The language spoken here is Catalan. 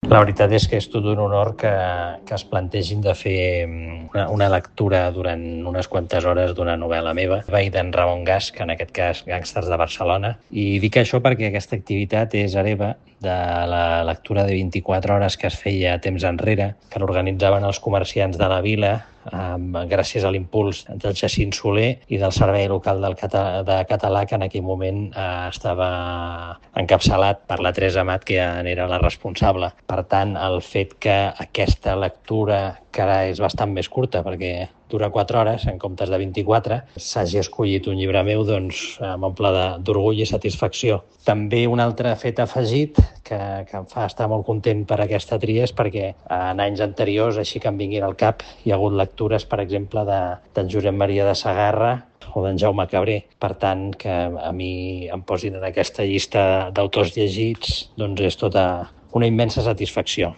La veritat és que és tot un honor que es plantegin de fer una lectura durant unes quantes hores d'una novel·la meva, d'en Ramon Gasch, que en aquest cas Gàngsters de Barcelona. I dic això perquè aquesta activitat és hereva de la lectura de 24 hores que es feia temps enrere, que l'organitzaven els comerciants de la vila, gràcies a l'impuls del Jacint Soler i del Servei Local de Català, que en aquell moment estava encapçalat per la Teresa Amat, que ja n'era la responsable. Per tant, el fet que aquesta lectura, que ara és bastant més curta perquè dura 4 hores en comptes de 24, s'hagi escollit un llibre meu, doncs m'omple d'orgull i satisfacció. També un altre fet afegit que em fa estar molt content per aquesta tria és perquè en anys anteriors, així que em vinguin al cap, hi ha hagut lectures, per exemple, d'en Josep Maria de Sagarra o d'en Jaume Cabré. Per tant, que a mi em posin en aquesta llista d'autors llegits, doncs és tota una immensa satisfacció.